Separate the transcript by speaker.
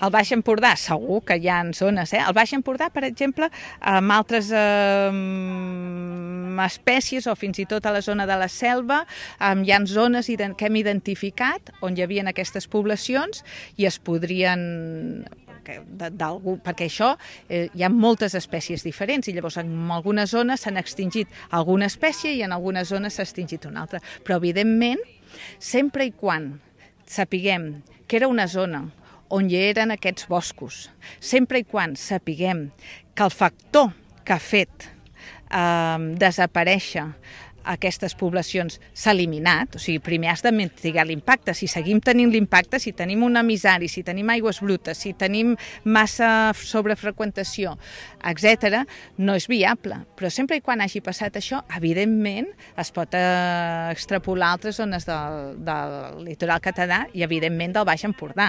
Speaker 1: Al Baix Empordà segur que hi ha zones. Al Baix Empordà, per exemple, amb altres espècies o fins i tot a la zona de la selva, hi ha zones que hem identificat on hi havia aquestes poblacions i es podrien... perquè això hi ha moltes espècies diferents i llavors en algunes zones s'han extingit alguna espècie i en algunes zones s'ha extingit una altra. Però evidentment, sempre i quan sapiguem que era una zona on hi eren aquests boscos, sempre i quan sapiguem que el factor que ha fet desaparèixer aquestes poblacions s'ha eliminat, o sigui, primer has de mitigar l'impacte. Si seguim tenint l'impacte, si tenim un emissari, si tenim aigües brutes, si tenim massa sobrefreqüentació, etc., no és viable. Però sempre i quan hagi passat això, evidentment es pot extrapolar a altres zones del litoral català i, evidentment, del Baix Empordà.